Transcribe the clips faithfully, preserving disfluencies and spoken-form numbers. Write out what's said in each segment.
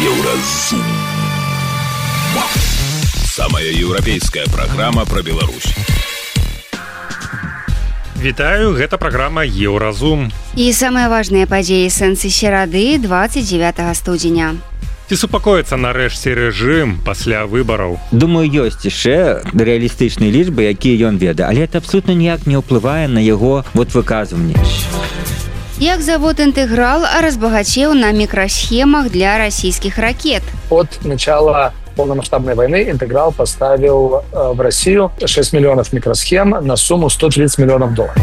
Еўразум. Самая еўрапейская праграма пра Беларусь. Вітаю, гэта праграма Еўразум. І самыя важныя падзеі сэнсы серады двадцать девятого студзеня. Ці супакоіцца нарэшце рэжым пасля выбараў? Думаю, ёсць яшчэ рэалістычныя лічбы, якія ён ведае, але это абсолютно ніяк не ўплывае на яго вот выказванні. Як завод «Интеграл» разбогател на микросхемах для российских ракет? От начала полномасштабной войны «Интеграл» поставил в Россию шесть миллионов микросхем на сумму сто тридцать миллионов долларов.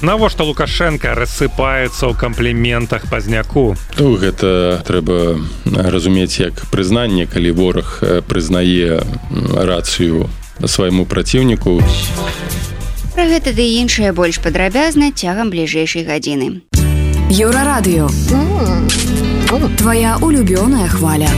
Навошта Лукашенко рассыпаецца ў кампліментах пазняку? Ну, гэта трэба разумець як прызнанне, калі вораг прызнае рацыю свайму праціўніку. Пра гэта ды іншае больш падрабязна цягам бліжэйшай гадзіны. Еўрарадыё. Твоя улюбёная хваля.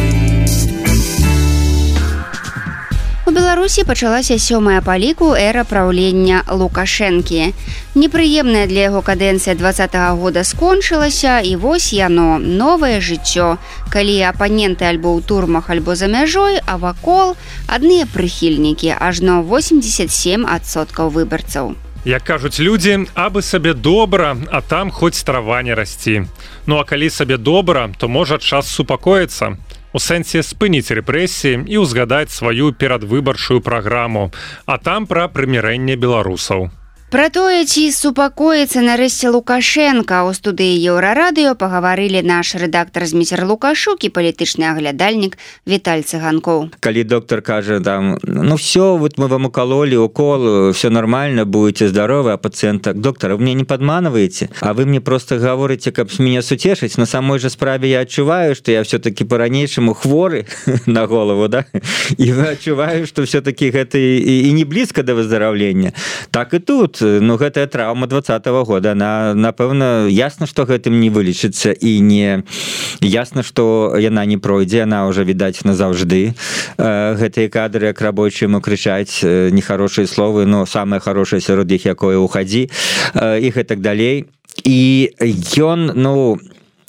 У Беларусі пачалася сёмая па ліку эра праўлення Лукашэнкі. Непрыемная для яго кадэнцыя двадцатага года скончылася, і вось яно, новае жыццё, калі апаненты альбо ў турмах, альбо за мяжой, а вакол адныя прыхільнікі, ажно восемьдесят семь адсоткаў выбарцаў. Як кажуць людзі, абы сабе добра, а там хоць трава не расці. Ну а калі сабе добра, то можа час супакоіцца. У сэнсе спыніць рэпрэсіі і ўзгадаць сваю перадвыбарчую праграму, а там пра прымірэнне беларусаў. Пра тое, ці супакоіцца нарэшце Лукашенка, у студыі Еўрарадыё пагаварылі наш рэдактар Зміцер Лукашук і палітычны аглядальнік Віталь Цыганкоў. Калі доктор кажа там, ну все, вот мы вам укололи укол, все нормально, будете здоровы, а пациент так, доктор, вы меня не подманываете, а вы мне просто говорите, как меня сутешить. На самой же справе я отчуваю, что я все-таки по-ранейшему хворы на голову, да, и отчуваю, что все-таки это и, и не близко до выздоровления. Так и тут. Ну, гэтая траўма двадцатого года, она, напэўна, ясна, што гэтым не вылечыцца, і не ясна, што яна не пройдзе, она ўжо, відаць, назаўжды. Гэтыя кадры, як рабочыя ему крычаць нехарошыя словы, но самае хорошае сярод іх, якое ўхадзі, і гэтак далей. І ён, ну...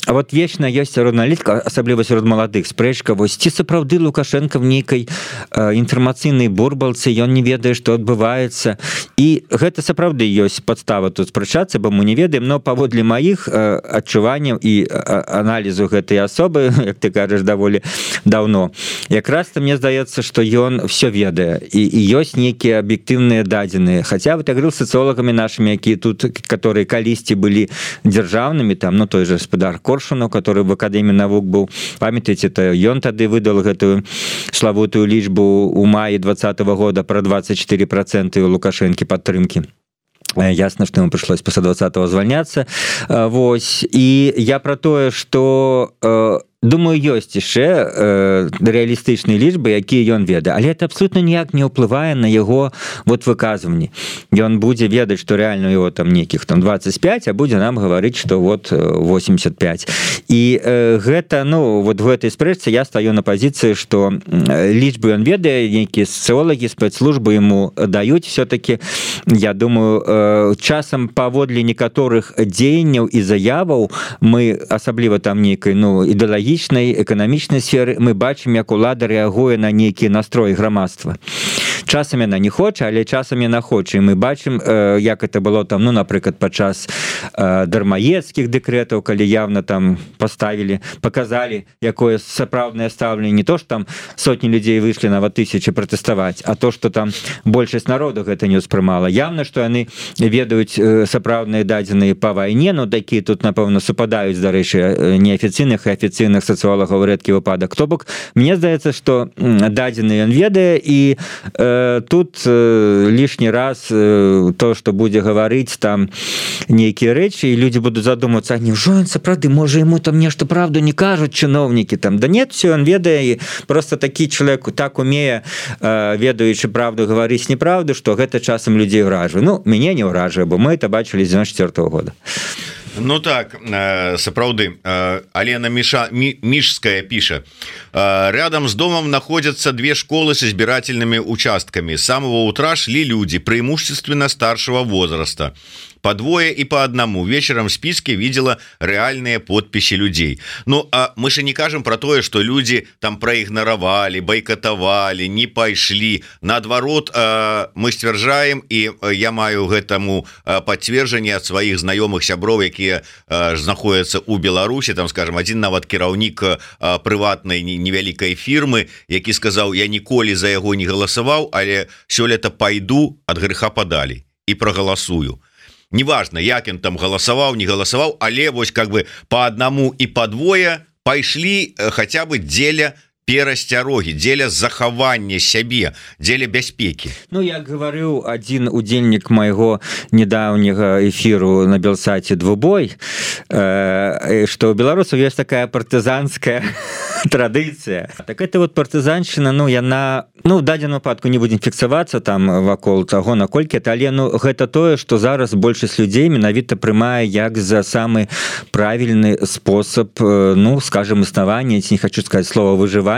А вот вечна ёсць сярод аналітыка, асабліва сярод маладых, спрэчка, вось ці сапраўды Лукашенко в нейкай э, інфармацыйнай бурбалцы, ён не ведае, што адбываецца. І гэта сапраўды ёсць падстава тут спрачацца, бо мы не ведаем, но паводле маіх э, адчуванняў і э, аналізу гэтай асобы, як ты кажаш, даволі даўно, якраз-то мне здаецца, што ён все ведае, і, і ёсць нейкія аб'ектыўныя дадзеныя. Хаця вот я говорил с социологами нашими, якія тут, которые калісьці былі дзяржаўнымі, там, ну той же гаспадар Коршунов, который в Академии наук был, памятаете, то ён тады выдал гэтую славутую лічбу у маі двадцатого года про двадцать четыре процента у Лукашенко падтрымки. Ясно, что ему пришлось после двадцатого звальняться. Вось. И я про тое, что... Думаю, ёсць яшчэ э, рэалістычныя лічбы, якія ён ведае, але это абсолютно ніяк не ўплывае на яго вот выказванні. Ён будзе ведаць, што реально у яго там нейкіх там двадцать пять, а будзе нам гаварыць, што вот восемьдесят пять. І э, гэта, ну, вот в гэтай спрэчцы я стаю на пазіцыі, што лічбы ён ведае, нейкія сацыолагі, спецслужбы ему даюць все-таки, я думаю, э, часам паводле некаторых дзеянняў і заяваў мы, асабліва там нейкай, ну, ідэалагічнай, эканамічнай сферы, мы бачым, як улада рэагуе на нейкія настроі грамадства. Часам яна не хоча, але часам яна хоча. І мы бачым, як это было там, ну, напрыклад, падчас дармаедскіх дэкрэтаў, калі явна там паставілі, паказалі, якое сапраўднае стаўленне, не то, што там сотні людзей выйшлі нават тысячы пратэставаць, а то, што там большасць народу гэта не ўспрымала. Явна, што яны ведаюць сапраўдныя дадзеныя па вайне, ну, такія тут, напэўна, супадаюць, дарэчы, неафіцыйных і афіцыйных сацыолагаў рэдкі выпадак. То бок, мне здаецца, што дадзены ён ведае, і э, тут э, лішні раз э, то, што будзе гаварыць там нейкія рэчы, і людзі будуць задумвацца, а няўжо ён сапраўды, можа, яму там нешта правду не кажуць чыноўнікі там. Да нет, все, ён ведае, і просто такі чалавек так умее, э, ведаючы правду, гаварыць неправду, што гэта часам людзей ўражвае. Ну, мяне не ўражвае, бо мы это бачылі з девяносто четвёртого года. Ну так, сапраўды, Алена Миша, Мишская пишет. Рядом с домом находятся две школы с избирательными участками. С самого утра шли люди, преимущественно старшего возраста. по двое и по одному. Вечером в списке видела реальные подписи людей. Ну, а мы же не кажем про то, что люди там проигноровали, бойкотовали, не пошли. Наоборот, мы стверджаем, и я маю гэтаму подтверждение от своих знакомых сябров, которые находятся у Беларуси, там, скажем, один нават кіраўнік прыватнай невялікай фірмы, які сказаў: я ніколі за яго не галасаваў, але сёлета пайду ад грэха падалей і прагаласую. Неважно, як ён там галасаваў, не галасаваў, але вось как бы по одному і по двое пайшлі хотя бы дзеля перасцярогі, дзеля захавання сябе, дзеля бяспекі. Ну, як гаварыў адзін удзельнік майго недаўняга эфіру на Белсаце «Двубой», э, што ў беларусаў ёсць такая партызанская традыцыя. Так это вот партызаншчына, ну, яна, ну, в дадзеным выпадку не будзем фіксавацца там вакол таго, наколькі это, але ну, гэта тое, што зараз большасць людзей менавіта прымае як за самы правільны спосаб, ну, скажем, існавання, ці не хочу сказаць слова выжывання.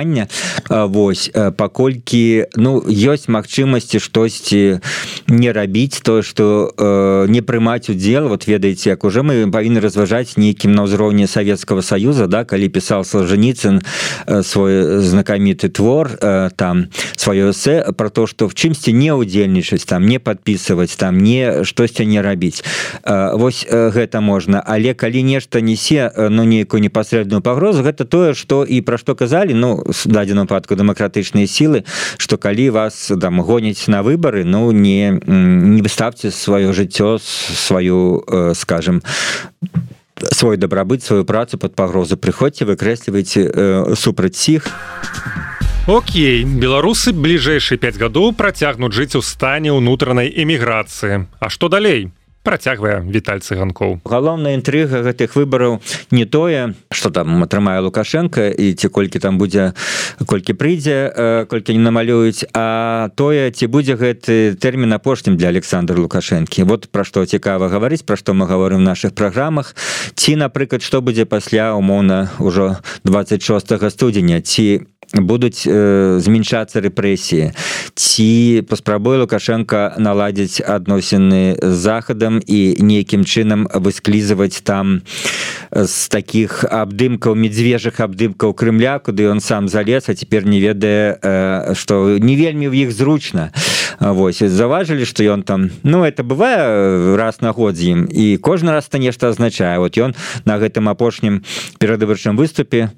Вось, паколькі ну ёсць магчымасці штосьці не рабіць, тое што э, не прымаць удзел. Вот ведаеце, як уже мы павінны разважаць нейкім на ўзроўні Савецкага Саюза, да, калі пісаў Солженіцын э, свой знакаміты твор, э, там сваё эсэ про то, што в чымсьці не ўдзельнічаць, там не падпісваць, там не штосьці не рабіць. Э, вось э, гэта можна, але калі нешта несе ну нейкую непасрэдную пагрозу, гэта тое, што і пра што казалі, ну в дадзеным выпадку дэмакратычныя сілы, што калі вас там гоняць на выбары, ну не не выставце сваё жыццё, сваю, скажем, свой дабрабыт, сваю працу пад пагрозу. Прыходзьце, выкрэслівайце э, супраць іх. Окей, беларусы бліжэйшыя пяць гадоў працягнуць жыць у стане ўнутранай эміграцыі. А што далей? Працягвае Віталь Цыганкоў. Галоўная інтрыга гэтых выбараў не тое, што там атрымае Лукашенко і ці колькі там будзе, колькі прыйдзе, колькі не намалююць, а тое, ці будзе гэты тэрмін апошнім для Александра Лукашэнкі. Вот пра што цікава гаварыць, пра што мы гаворым в нашых праграмах. Ці, напрыклад, што будзе пасля, умоўна, ужо двадцать шостага студзеня, ці будуць э, змяншацца рэпрэсіі, ці паспрабуе Лукашенко наладзіць адносіны з захадам і нейкім чынам высклізаваць там з такіх абдымкаў, медзвежых абдымкаў Крымля, куды ён сам залез, а цяпер не ведае, э, што не вельмі ў іх зручна. Вось, заважылі, што ён там, ну, это бывае раз на год з ім, і кожны раз это нешта азначае. Вот ён на гэтым апошнім перадвыбарчым выступе,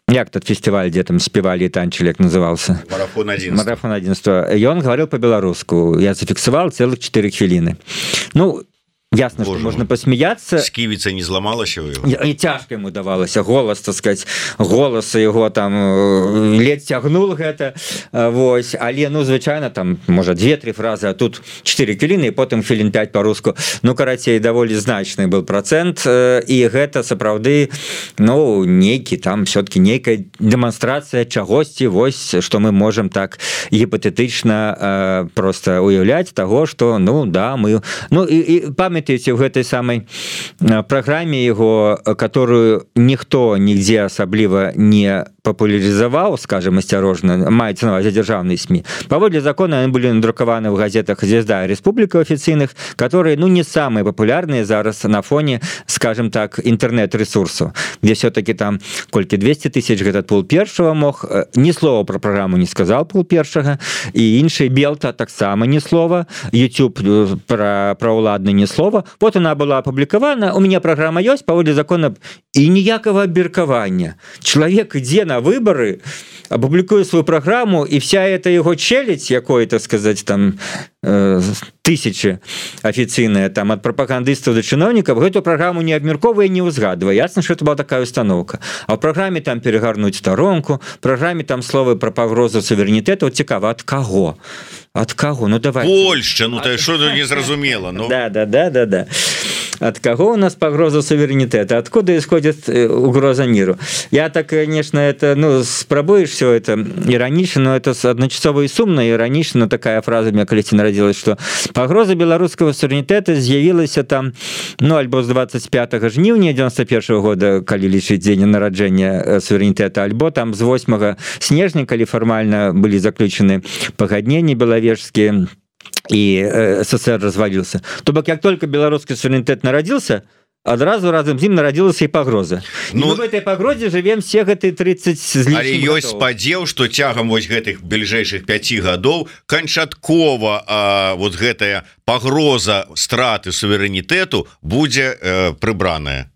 як тот фестиваль, где там спевали и танчили, як назывался? Марафон одиннадцать. Марафон одиннадцать. И он говорил по-белорусски. Я зафиксовал целых четыре хвилины. Ну, ясно, Боже, что можно посмеяться. Скивица не зламалась у его? И, и тяжко ему давалось. Голос, так сказать, голос его там ледь тягнул это. Вось. Але, ну, звычайно, там, может, две-три фразы, а тут четыре хвилины, и потом хвилин пять по-руску. Ну, карацей, даволі значный был процент. И гэта, сапраўды, ну, нейкі, там, все-таки нейкая демонстрация чагосьці, вось, что мы можем так гипотетично э, просто уявлять того, что, ну, да, мы... Ну, и, и память в гэтай самай праграме его, которую ніхто нігдзе асабліва не папулярызаваў, скажем, асцярожна, маецца на ўвазе дзяржаўныя СМИ. Паводле закона они были надрукаваны в газетах «Звезда» и «Республика» официальных, которые, ну, не самые популярные зараз на фоне, скажем так, интернет-ресурсов, где все-таки там колькі двести тысяч этот пул першего мог, ни слова про программу не сказал пул першага, и інший Белта так само ни слова, YouTube про, про уладны ни слова. Вот она была опубликована, у меня программа есть, паводле закона, и ніякага абмеркавання. Человек ідзе на выборы, опубликуе свою программу, и вся эта его челядь, якой, так сказать, там э, тысячи официальные, там, от пропагандистов до чиновников, эту программу не абмерковывая, не узгадывая. Ясно, что это была такая установка. А в программе там перегарнуть сторонку, в программе там слово про погрозу суверенитета, вот цікава, от кого? От кого? Ну, давай. Польща, ну, то что тут не зразумело. Ну. Да, да, да, да, да. От кого у нас погроза суверенитета? Откуда исходит угроза миру? Я так, конечно, это, ну, спробуешь все это иронично, но это одночасово и сумно, и иронично, но такая фраза у меня колись народилась, что погроза белорусского суверенитета з'явілася там, ну, альбо с двадцать пятого жніўня девяносто первого года, калі лічыць дзень нараджэння суверенитета, альбо там с восьмого снежня, калі формально были заключены пагадненні беловежские. и СССР развалился. То бок як только беларускі суверэнітэт нарадзіўся, адразу разам з ім нарадзілася і пагроза. Ну, в этой пагрозе живем все гэты тридцать з лишним. Але ёсць спадзеў, што цягам вось гэтых бліжэйшых пяці гадоў канчаткова а, вот гэтая пагроза страты суверэнітэту будзе э, прыбраная.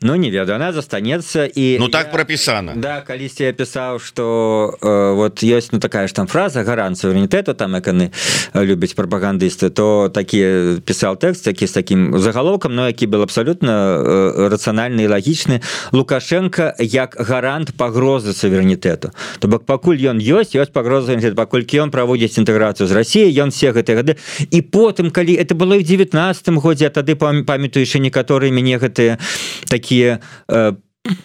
Ну не ведаю, она застанецца і ну так я, пропісана. Да, калісьці я пісаў, што э, вот ёсць ну такая ж там фраза гарант суверэнітэту, там як яны любяць прапагандысты, то такі пісаў тэкст, які з такім загалоўкам, но які был абсалютна э, рацыянальны і лагічны. Лукашенко як гарант пагрозы суверэнітэту. То бок пакуль ён ёсць, ёсць пагроза суверэнітэту, паколькі ён праводзіць інтэграцыю з Расіяй, ён все гэтыя гады. І потым, калі это было і ў девятнадцатым годзе, а тады памятаю яшчэ некаторыя мяне гэтыя такі такие,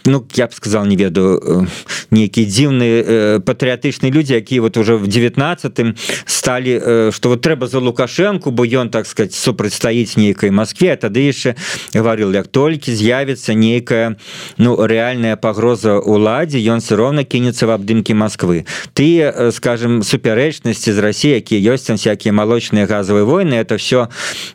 ну, я б сказал, не ведаю, некие дзіўныя патрыятычныя людзі, якія вот уже в девятнадцатым сталі, што вот трэба за Лукашенко, бо ён, так сказать, супрацьстаіць нейкай Москве, а тады яшчэ гаварыў, як толькі з'явіцца нейкая, ну, рэальная пагроза уладзе, ён все роўна кінецца в абдымкі Москвы. Тыя, скажем, супярэчнасці з Россией, якія ёсць там всякие молочные газовые войны, это все,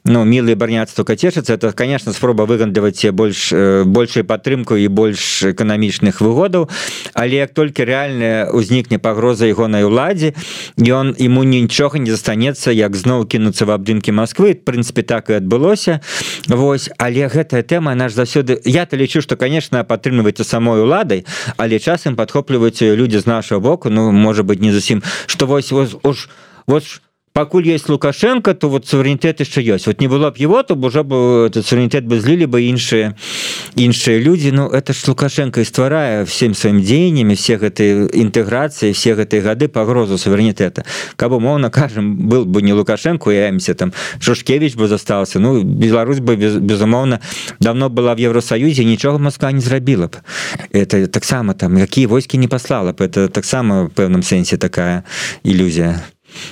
ну, милые барняцтва кацешыцца, это, конечно, спроба выгандаваць больш, большую падтрымку і больш эканамічных выгодаў, але як толькі рэальная ўзнікне пагроза ягонай уладзе, ён ему нічога не застанецца, як зноў кінуцца в абдымкі Москвы. В прынцыпе, так і адбылося. Вось, але гэтая тэма наш заўсёды, я-то лічу, што, конечно, падтрымліваецца самой уладай, але часам падхопліваюць людзі з нашого боку, ну, можа быть, не зусім, што вось, вось, вось, вось покуль есть Лукашенко, то вот суверенитет еще есть. Вот не было бы его, то уже бы этот суверенитет бы злили бы иншие, иншие люди. Ну, это ж Лукашенко и стварая всем своим деяниями, всех этой интеграции, всех этой годы погрозу суверенитета. Как бы, умовно кажем, был бы не Лукашенко, я имся там, Шушкевич бы застался, ну, Беларусь бы, без, безумовно, давно была в Евросоюзе, ничего Москва не зрабила бы. Это так само там, какие войски не послала бы. Это так само в певном сенсе такая иллюзия.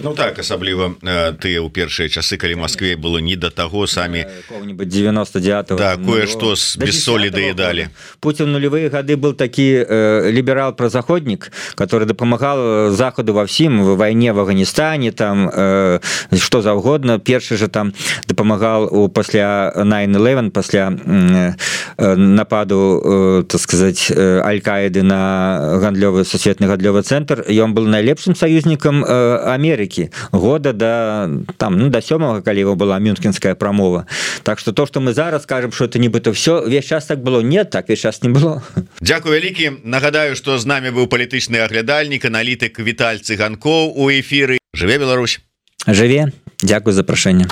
Ну так, асабліва тыя ў першыя часы, калі Москве было не да таго, самі девяносто девятого да, кое-што без солі даедалі. Путин в нулевые годы был такі э, либерал-прозаходник, который дапамагал Заходу во всем, в войне в Афганистане, там, э, что завгодно. Першы же там дапамагал у пасля nine eleven, пасля э, нападу, э, так сказать, э, Аль-Каиды на гандлёвы, сусветны гандлёвы центр. И он был наилепшим союзником э, Америки. Америки года до там ну до сёмага, калі его была мюнхенская промова. Так что то, что мы зараз скажем, что это нібыта все весь час так было, нет, так весь час не было. Дзякуй вялікі. Нагадаю, что з нами быў палітычны аглядальнік, аналітык Віталь Цыганкоў у эфіры. Жыве Беларусь. Жыве. Дзякуй за запрашэнне.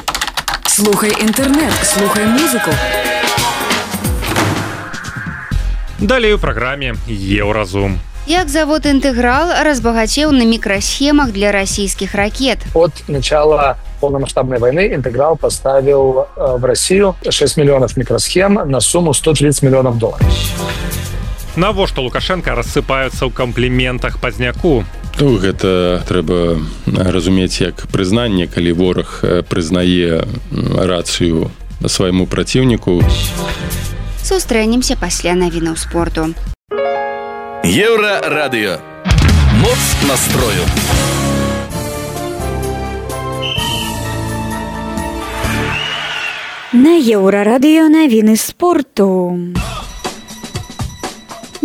Слухай інтэрнэт, слухай музыку. Далей у праграме Еўразум. Як завод «Интеграл» разбогател на микросхемах для российских ракет. От начала полномасштабной войны «Интеграл» поставил в Россию шесть миллионов микросхем на сумму сто тридцать миллионов долларов. Навошта Лукашенко рассыпаются ў компліментах пазняку? Ну, гэта трэба разумець як прызнанне, калі вораг прызнае рацыю свайму праціўніку. Сустрэнемся пасля навінаў спорту. Еўрарадыё. Моц настрою. На Еўрарадыё навіны спорту.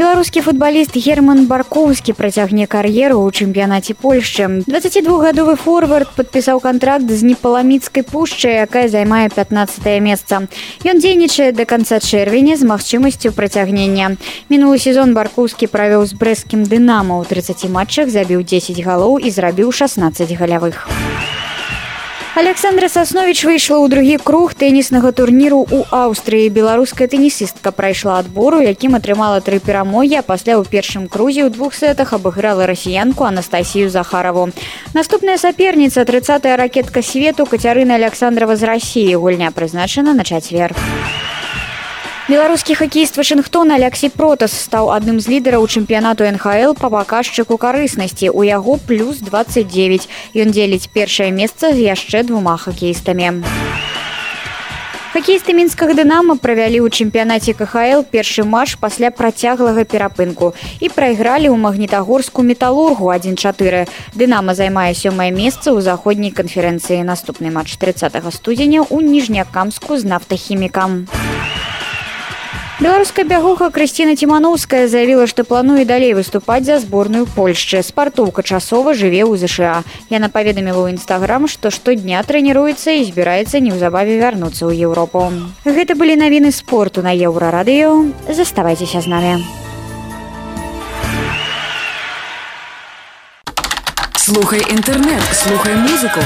Беларускі футбаліст Герман Баркоўскі працягне кар'еру ў чэмпіянаце Польшчы. дваццацідвухгадовы форвард падпісаў кантракт з Непаламіцкай пушчай, якая займае пятнаццатае месца. Ён дзейнічае да канца чэрвеня з магчымасцю працягнення. Мінулы сезон Баркоўскі правёў з брэсцкім «Дынама». У тридцати матчах забіў дзесяць галоў і зрабіў шаснаццаць галявых. Александра Сасновіч выйшла ў другі круг тэніснага турніру ў Аўстрыі. Беларуская тэнісістка прайшла адбору, якім атрымала тры перамогі, а пасля ў першым крузе ў двух сетах абыграла расіянку Анастасію Захараву. Наступная саперніца, трыццатая ракетка свету Кацярына Александрова з Расіі. Гульня прызначана на чацвер. Беларускі хакеіст Вашынгтона Алексей Протас стаў адным з лідараў чэмпіянату эн ха эл па паказчыку карыснасці. У яго плюс двадцать девять. Ён дзеліць першае месца з яшчэ двума хакеістамі. Хакеісты мінскага «Дынама» правялі ў чэмпіянаце ка ха эл першы матч пасля працяглага перапынку і прайгралі ў магнітагорску «Металургу» адзін чатыры. «Дынама» займае сёмае месца ў заходняй канферэнцыі. Наступны матч трыццатага студзеня ў Ніжнякамску з «Нафтахімікам». Беларуская бягуха Крысціна Ціманоўская заявіла, што плануе далей выступаць за зборную Польшчы. Спартоўка часова жыве ў зэ шэ а. Яна паведаміла ў інстаграм, што штодня трэніруецца і збіраецца неўзабаве вярнуцца ў Еўропу. Гэта былі навіны спорту на Еўрарадыё. Заставайцеся з намі. Слухай інтэрнэт, слухай музыку.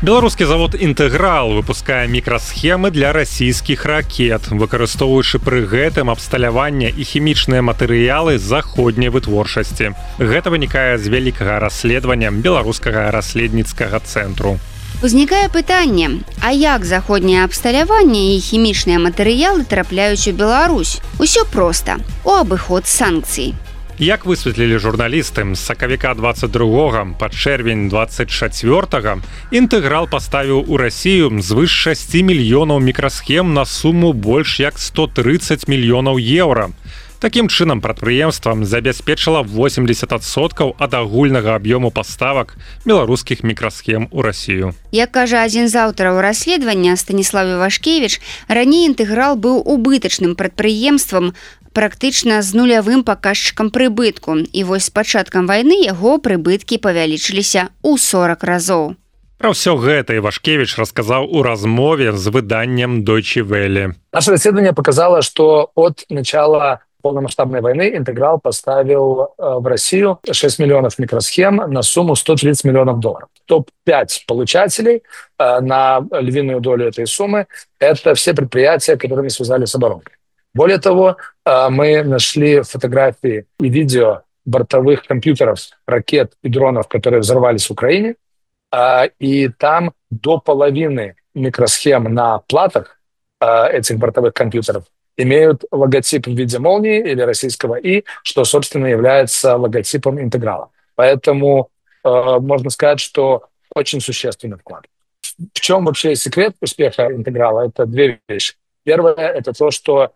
Беларускі завод «Інтэграл» выпускае мікрасхемы для расійскіх ракет, выкарыстоўваючы пры гэтым абсталяванне і хімічныя матэрыялы заходняй вытворчасці. Гэта вынікае з вялікага расследавання беларускага расследніцкага цэнтру. Узнікае пытанне, а як заходняе абсталяванне і хімічныя матэрыялы трапляюць у Беларусь? Усё проста, у абыход санкцый. Як высветлілі журналісты, з сакавіка двадцать другога па чэрвень двадцать чацвёртага «Інтэграл» паставіў у Расію звыш шасці мільёнаў мікрасхем на суму больш як сто трыццаць мільёнаў еўра. Такім чынам прадпрыемствам забяспечыла восемьдесят адсоткаў ад агульнага аб'ёму паставак беларускіх мікрасхем у Расію. Як кажа адзін з аўтараў расследавання Станіслав Івашкевіч, раней «Інтэграл» быў убытачным прадпрыемствам, практычна з нулявым паказчыкам прыбытку. І вось з пачаткам вайны яго прыбыткі павялічыліся ў сорок разоў. Пра ўсё гэта Ивашкевич расказаў у размове з выданнем Deutsche Welle. Наше расследование показало, что от начала полномасштабной войны «Интеграл» поставил в Россию шесть миллионов микросхем на сумму сто тридцать миллионов долларов. топ пять получателей на львиную долю этой суммы – это все предприятия, которые не связали с оборонкой. Более того, мы нашли фотографии и видео бортовых компьютеров, ракет и дронов, которые взорвались в Украине, и там до половины микросхем на платах этих бортовых компьютеров имеют логотип в виде молнии или российского «И», что, собственно, является логотипом «Интеграла». Поэтому можно сказать, что очень существенный вклад. В чем вообще секрет успеха «Интеграла»? Это две вещи. Первое – это то, что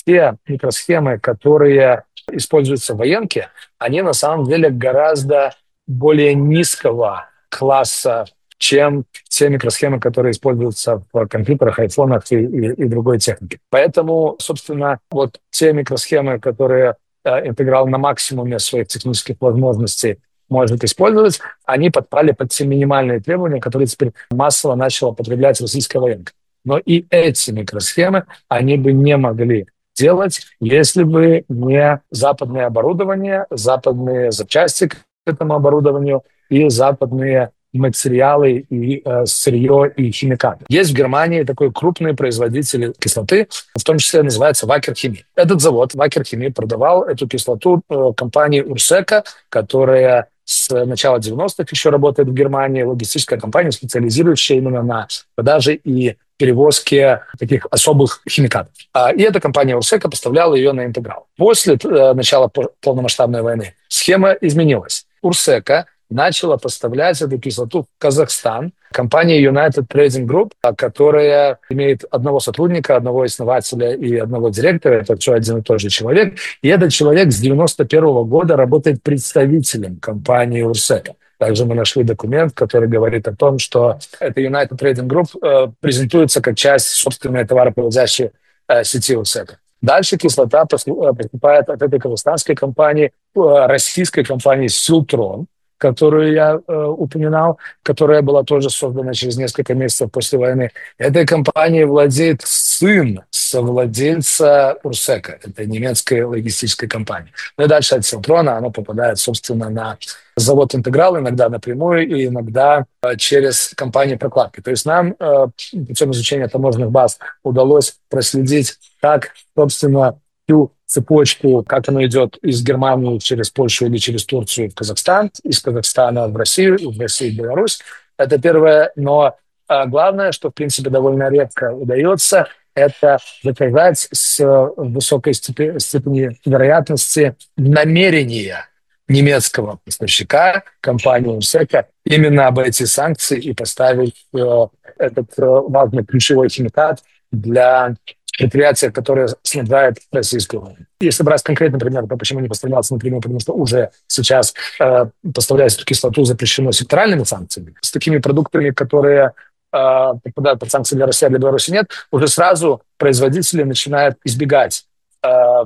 те микросхемы, которые используются в военке, они на самом деле гораздо более низкого класса, чем те микросхемы, которые используются в компьютерах, айфонах и, и, и другой технике. Поэтому, собственно, вот те микросхемы, которые э, «Интеграл» на максимуме своих технических возможностей может использовать, они подпали под те минимальные требования, которые теперь массово начала потреблять российская военка. Но и эти микросхемы они бы не могли делать, если бы не западное оборудование, западные запчасти к этому оборудованию и западные материалы, и э, сырье, и химикаты. Есть в Германии такой крупный производитель кислоты, в том числе называется Wacker Chemie. Этот завод Wacker Chemie продавал эту кислоту э, компании Урсека, которая с начала девяностых еще работает в Германии, логистическая компания, специализирующая именно на продаже и перевозке таких особых химикатов. И эта компания Урсека поставляла ее на «Интеграл». После э, начала полномасштабной войны схема изменилась. Урсека начала поставлять эту кислоту в Казахстан. Компания United Trading Group, которая имеет одного сотрудника, одного основателя и одного директора, это все один и тот же человек. И этот человек с девяносто первого года работает представителем компании Урсека. Также мы нашли документ, который говорит о том, что эта United Trading Group э, презентуется как часть собственной товаропроводящей э, сети Урсека. Дальше кислота поступает от этой казахстанской компании, э, российской компании «Силтрон», которую я э, упоминал, которая была тоже создана через несколько месяцев после войны. Этой компанией владеет сын совладельца Урсека. Это немецкая логистическая компания. Ну и дальше от Силтрона она попадает, собственно, на завод «Интеграл», иногда напрямую и иногда э, через компании прокладки. То есть нам э, путем изучения таможенных баз удалось проследить, как, собственно, всю цепочку, как оно идет из Германии через Польшу или через Турцию в Казахстан, из Казахстана в Россию, из России в Беларусь. Это первое. Но а, главное, что, в принципе, довольно редко удается, это доказать с высокой степени, степени вероятности намерения немецкого поставщика, компании УРСЭКа, именно об эти санкции и поставить э, этот э, важный ключевой химикат для предприятия, которое снабжает российскую. Если брать конкретный пример, то почему не поставлялся напрямую, потому что уже сейчас э, поставлять эту кислоту запрещено секторальными санкциями. С такими продуктами, которые э, попадают под санкции для России, а для Беларуси нет, уже сразу производители начинают избегать э,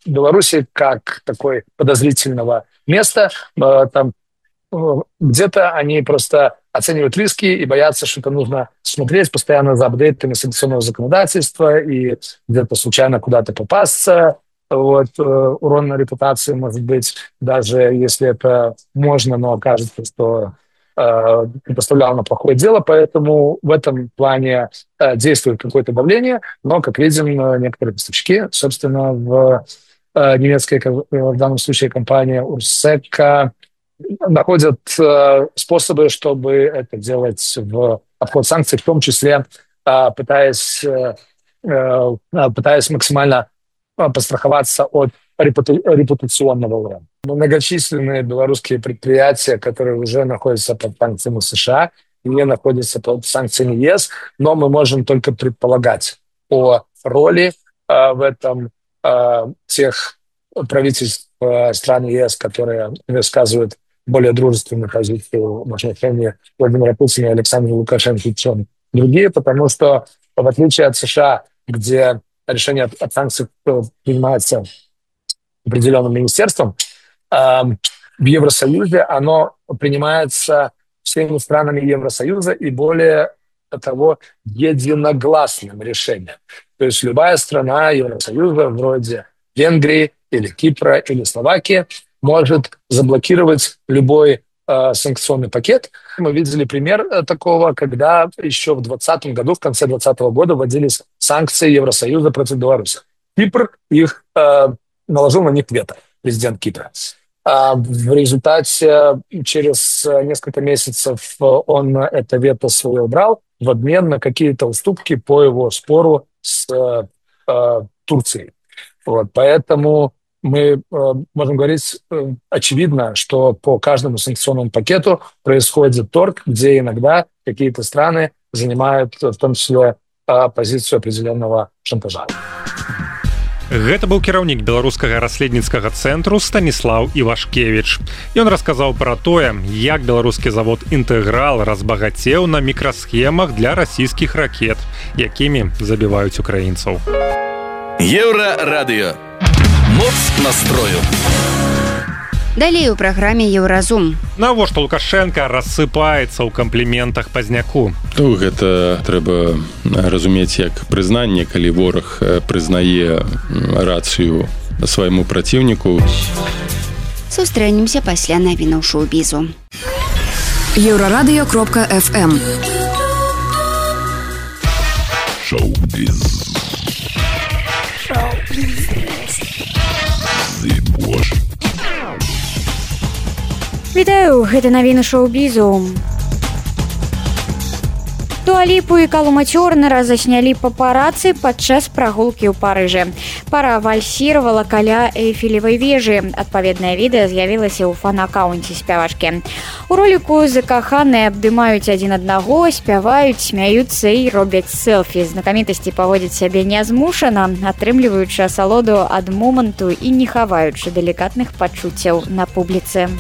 Беларуси как такой подозрительного места. Э, там где-то они просто оценивают риски и боятся, что это нужно смотреть постоянно за апдейтами санкционного законодательства и где-то случайно куда-то попасться. Вот, э, урон на репутации может быть, даже если это можно, но окажется, что э, поставлял на плохое дело. Поэтому в этом плане э, действует какое-то давление. Но, как видим, некоторые поставщики, собственно, в э, немецкой, в данном случае компания УРСЭКа, находят э, способы, чтобы это делать в обход санкций, в том числе э, пытаясь, э, э, пытаясь максимально постраховаться от репуту- репутационного урона. Многочисленные белорусские предприятия, которые уже находятся под санкциями США, не находятся под санкциями ЕС, но мы можем только предполагать о роли э, в этом э, тех правительств э, стран ЕС, которые высказывают более дружественную позицию в отношении Владимира Путина и Александра Лукашенко, чем другие, потому что, в отличие от США, где решение о санкциях принимается определенным министерством, в Евросоюзе оно принимается всеми странами Евросоюза и, более того, единогласным решением. То есть любая страна Евросоюза, вроде Венгрии или Кипра или Словакии, может заблокировать любой э, санкционный пакет. Мы видели пример э, такого, когда еще в двадцатом году, в конце двадцатого года, вводились санкции Евросоюза против Беларуси. Кипр их э, наложил на них вето, президент Кипра. А в результате через несколько месяцев он это вето свое убрал в обмен на какие-то уступки по его спору с э, э, Турцией. Вот, поэтому мы э, можем говорить э, очевидно, что по каждому санкционному пакету происходит торг, где иногда какие-то страны занимают в том числе э, позицию определенного шантажа. Гэта быў кіраўнік беларускага расследніцкага цэнтру Станіслаў Івашкевіч. Ён расказаў пра тое, як беларускі завод «Інтэграл» разбагацеў на мікрасхемах для расійскіх ракет, якімі забіваюць украінцаў. Еўрарадыё. Моц настрою. Далей у праграме «Еўразум». Навошта Лукашенко рассыпаецца ў кампліментах пазняку? Ну, гэта трэба разумець як прызнанне, калі вораг прызнае рацыю свайму праціўніку. Сустрэнемся пасля навінаў шоу-бізу. Еўрарадыё кропка эф эм. Шоу-біз. Шоу-біз. Вітаю, гэта навіны шоу-бізу. Дуа Ліпу і Калума Цёрнера заснялі папарацы падчас прагулкі ў Парыжы. Пара вальсіравала каля Эйфелевай вежы. Адпаведнае відэа з'явілася ў фан-акаунце спявачкі. У роліку закаханыя абдымаюць адзін аднаго, спяваюць, смяюцца і робяць селфі. Знакамітасці паводзяць сябе нязмушана, атрымліваючы асалоду ад моманту і не хаваючы далікатных пачуццяў на публіцы.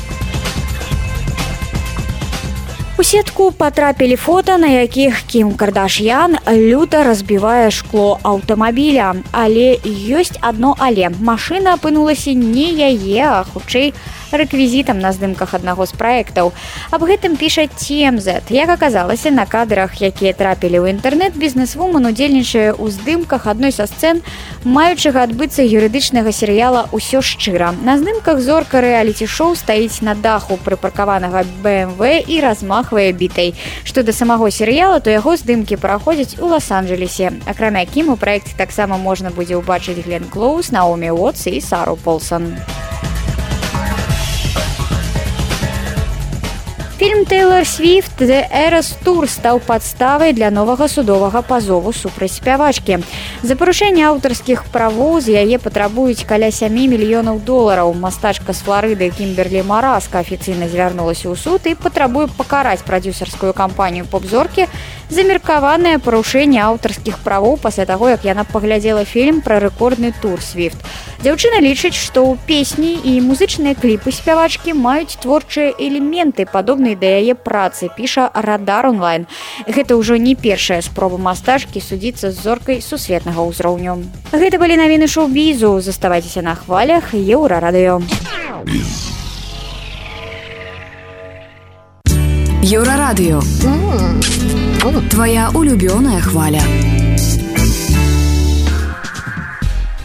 У сетку патрапілі фота, на якіх Кім Кардашьян люта разбівае шкло аўтамабіля. Але ёсць адно але. Машына апынулася не яе, а хутчэй рэквізітам на здымках аднаго з праектаў. Аб гэтым піша Ти Эм Зет. Як аказалася, на кадрах, якія трапілі ў інтэрнэт, бізнесвумен удзельнічае ў здымках адной са сцэн маючага адбыцца юрыдычнага серыяла «Усё шчыра». На здымках зорка рэаліці-шоу стаіць на даху прыпаркаванага бэ эм вэ і размахвае бітай. Што да самого серыяла, то яго здымкі праходзяць у Лас-Анджелесе. Акрамя Кім, у праекце таксама можна будзе ўбачыць Глен Клоус, Наомі Уотс і Сару Полсон. Фільм Тейлор Свіфт «The Eras Tour» стаў падставай для новага судовага пазову супраць спявачкі. За парушэнне аўтарскіх правоў з яе патрабуюць каля сем мільёнаў долараў. Мастачка з Флорыды Кімберлі Мараска афіцыйна звярнулася ў суд і патрабуе пакараць прадзюсарскую кампанію поп-зоркі за меркаванае парушэнне аўтарскіх правоў пасля таго, як яна паглядзела фільм пра рэкордны тур Свіфт. Дзяўчына лічыць, што ў песні і музычныя кліпы спявачкі маюць творчыя элементы, падобныя да яе працы, піша Радар онлайн. Гэта ўжо не першая спроба мастачкі судзіцца з зоркай сусветнага ўзроўню. Гэта былі навіны шоу-бізу. Заставайцеся на хвалях Еўрарадыё. Еўрарадыё. Твоя улюбёная хваля.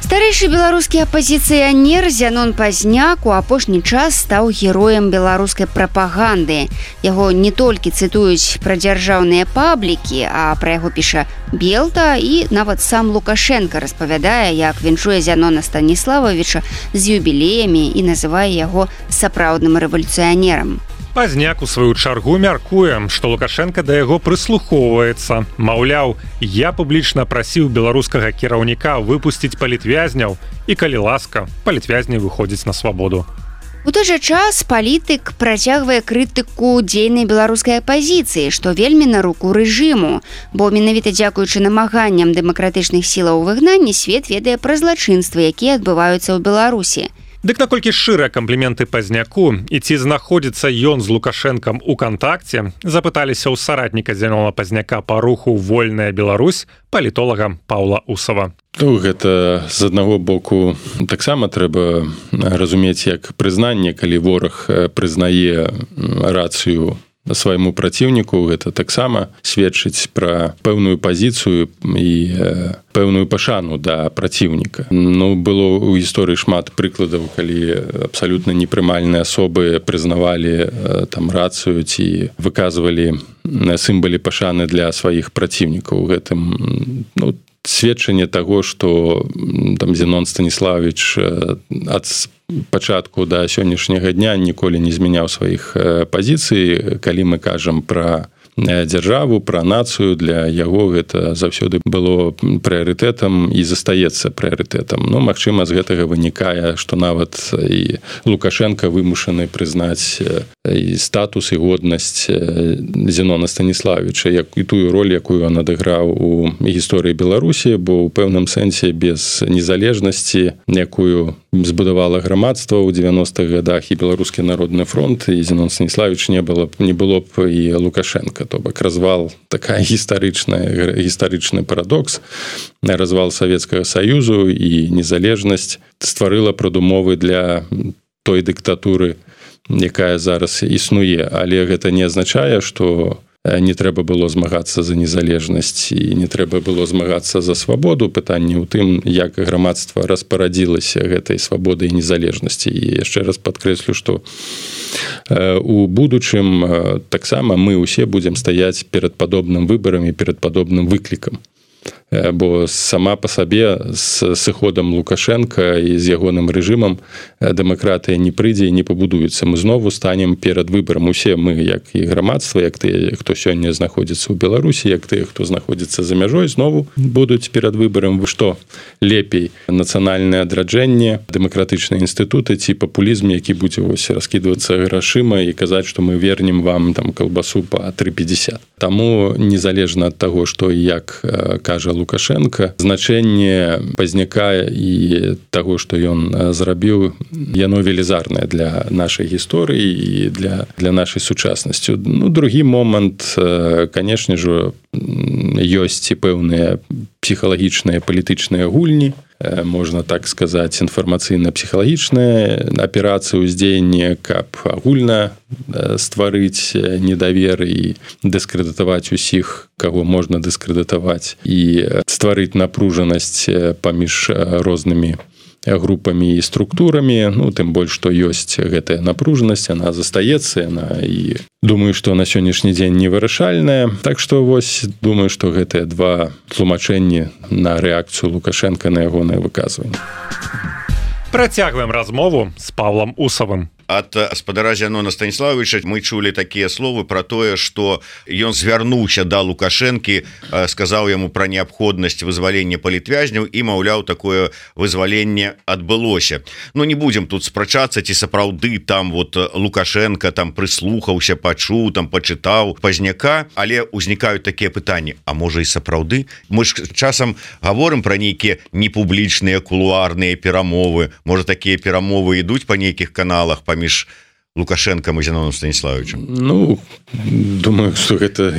Старэйшы беларускі апазіцыянер Зянон Пазняк у апошні час стаў героем беларускай прапаганды. Яго не толькі цытуюць пра дзяржаўныя паблікі, а пра яго піша Белта, і нават сам Лукашенко распавядае, як віншуе Зянона Станіславовича з юбілеямі і называе яго сапраўдным рэвалюцыянерам. Пазняк у сваю чаргу мяркуе, што Лукашенко да яго прыслухоўваецца. Маўляў, я публічна прасіў беларускага кіраўніка выпусціць палітвязняў, і калі ласка, палітвязні выходзіць на свабоду. У той жа час палітык працягвае крытыку дзейнай беларускай апазіцыі, што вельмі на руку рэжыму, бо менавіта дзякуючы намаганням дэмакратычных сілаў выгнання свет ведае пра злачынствы, якія адбываюцца ў Беларусі. Дык наколькі шчырыя кампліменты Пазняку і ці знаходзіцца ён з Лукашэнкам у кантакце, запыталіся ў саратніка Зянона Пазняка па руху «Вольная Беларусь» палітолага Паўла Усава. Ну, гэта з аднаго боку таксама трэба разумець як прызнанне, калі вораг прызнае рацыю свайму праціўніку, гэта таксама сведчыць пра пэўную пазіцыю і пэўную пашану да праціўніка. Ну, было ў гісторыі шмат прыкладаў, калі абсалютна непрымальныя асобы прызнавалі там рацыю ці выказвалі сімвалы пашаны для сваіх праціўнікаў. Гэтым, ну, сведчанне таго, што там Зянон Станіславович ад пачатку да сённяшняга дня ніколі не змяняў сваіх пазіцый. Калі мы кажам пра дзяржаву, пра нацыю, для яго гэта заўсёды было прыярытэтам і застаецца прыярытэтам. Ну, магчыма, з гэтага вынікае, што нават і Лукашенко вымушаны прызнаць і статус, і годнасць Зянона Станіславовича, як і тую роль, якую ён адыграў у гісторыі Беларусі, бо ў пэўным сэнсе без незалежнасці, якую збудавала грамадства ў дзевяностых гадах і Беларускі народны фронт, і Зянон Станіславович не было б, не было б і Лукашенко. То бок развал, такая гістарычная, гістарычны парадокс, развал Савецкага Саюзу і незалежнасць стварыла прадумовы для той дыктатуры, якая зараз існуе. Але гэта не азначае, што не трэба было змагацца за незалежнасць і не трэба было змагацца за свабоду. Пытанне ў тым, як грамадства распарадзілася гэтай свабоды і незалежнасці. І яшчэ раз падкрэслю, што у будучым таксама мы ўсе будзем стаяць перад падобным выбарам і перад падобным выклікам. Бо сама па сабе з сыходам Лукашенка і з ягоным рэжымам дэмакратыя не прыйдзе і не пабудуецца. Мы знову станем перад выбарам. Усе мы, як і грамадства, як тыя, хто сёння знаходзіцца ў Беларусі, як тыя, хто знаходзіцца за мяжой, знову будуць перад выбарам. Што лепей? Нацыянальнае адраджэнне, дэмакратычныя інстытуты ці папулізм, які будзе вось раскідвацца грашыма і казаць, што мы вернем вам там калбасу па тры пятьдесят. Таму незалежна ад таго, што і як кажа Лукашенко, значэнне Пазняка і таго, што ён зрабіў, яно велізарнае для нашай гісторыі і для, для нашай сучаснасці. Ну, другі момант, канешне ж, ёсць і пэўныя псіхалагічныя палітычныя гульні, можна так сказаць, інфармацыйна-псіхалагічная аперацыя ўздзеяння, каб агульна стварыць недавер і дыскрэдытаваць усіх, каго можна дыскрэдытаваць, і стварыць напружанасць паміж рознымі групамі і структурамі. Ну, тым больш, што ёсць гэтая напружанасць, яна застаецца, яна і думаю, што на сённяшні дзень невырашальная. Так што вось думаю, што гэтыя два тлумачэнні на рэакцыю Лукашенка на ягонае выказванне. Працягваем размову з Павлам Усавым. ад гаспадара Зянона Станіславовича мы чулі такія словы про тое, что ён звярнуўся да Лукашэнкі, сказаў яму пра неабходнасць вызвалення палітвязняў і маўляў, такое вызваленне адбылося. Ну не будем тут спрачацца, ці сапраўды там вот Лукашенко там прыслухаўся, пачуў, там пачытаў Пазняка, але ўзнікаюць такія пытанні: а можа і сапраўды? Мы ж часам гаворым пра нейкія непублічныя кулуарныя перамовы. Можа, такія перамовы ідуць па нейкіх каналах паміж Лукашенком и Зяноном Станіславовичем? Ну, думаю, что это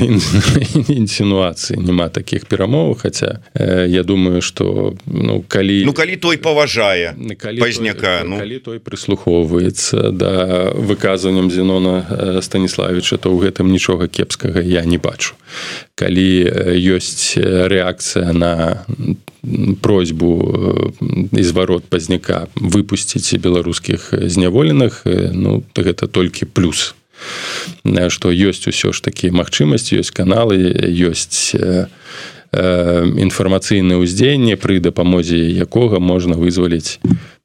инсинуации, нема таких перамоваў, хотя э, я думаю, что ну, калі... Ну, калі той паважае Пазняка, ну... калі той прыслухоўваецца да выказванням Зянона Станіславовича, то ў гэтым нічога кепскага я не бачу. Калі ёсць рэакцыя на просьбу і зварот Пазняка выпусціць беларускіх зняволеных, ну, гэта толькі плюс. Што ёсць усё ж такі магчымасць, ёсць каналы, ёсць інфармацыйнае ўздзеянне, пры дапамозе якога можна вызваліць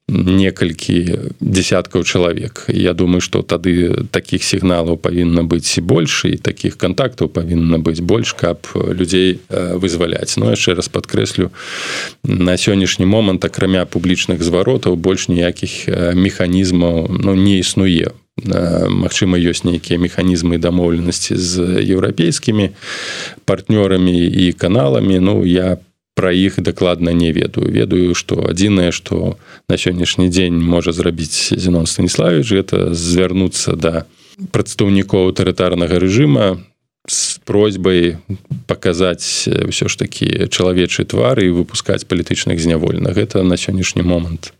некалькі десяткаў чалавек. Я думаю, што тады такіх сігналаў павінна быць больш, і такіх кантактаў павінна быць больш, каб людзей вызваляць. Но яшчэ раз падкрэслю, на сённяшні момант, акрамя публічных зваротаў, больш ніякіх механізмаў ну, не існуе. Магчыма, ёсць нейкія механізмы дамоўленасці з еўрапейскімі партнёрамі і каналамі. Ну, я пра іх дакладна не ведаю. Ведаю, што адзінае, што на сённяшні дзень можа зрабіць Зянон Станіславович, гэта звярнуцца да прадстаўнікоў аўтарытарнага рэжыма з просьбай паказаць ўсё ж такі чалавечы твар і выпускаць палітычных зняволеных. Гэта на сённяшні момант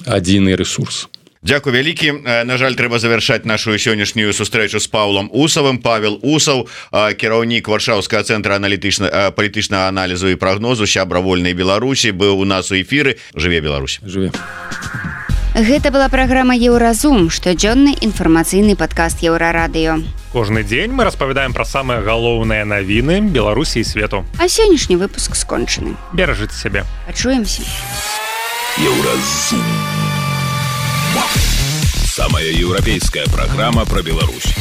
адзіны рэсурс. Дзякуй вялікі. На жаль, трэба завяршаць нашу сённяшнюю сустрэчу з Паўлам Усавым. Павел Усаў, кіраўнік Варшаўскага цэнтра аналітычна палітычнага аналізу і прагнозу, сябра Вольнай Беларусі, быў у нас у эфіры. Жыве Беларусь. Жыве. Гэта была праграма Еўразум, штодзённы інфармацыйны падкаст Еўрарадыё. Кожны дзень мы распавядаем пра самыя галоўныя навіны Беларусі і свету. А сённяшні выпуск скончаны. Беражыце сябе. Пачуемся. Еўразум. Самая европейская программа про Беларусь.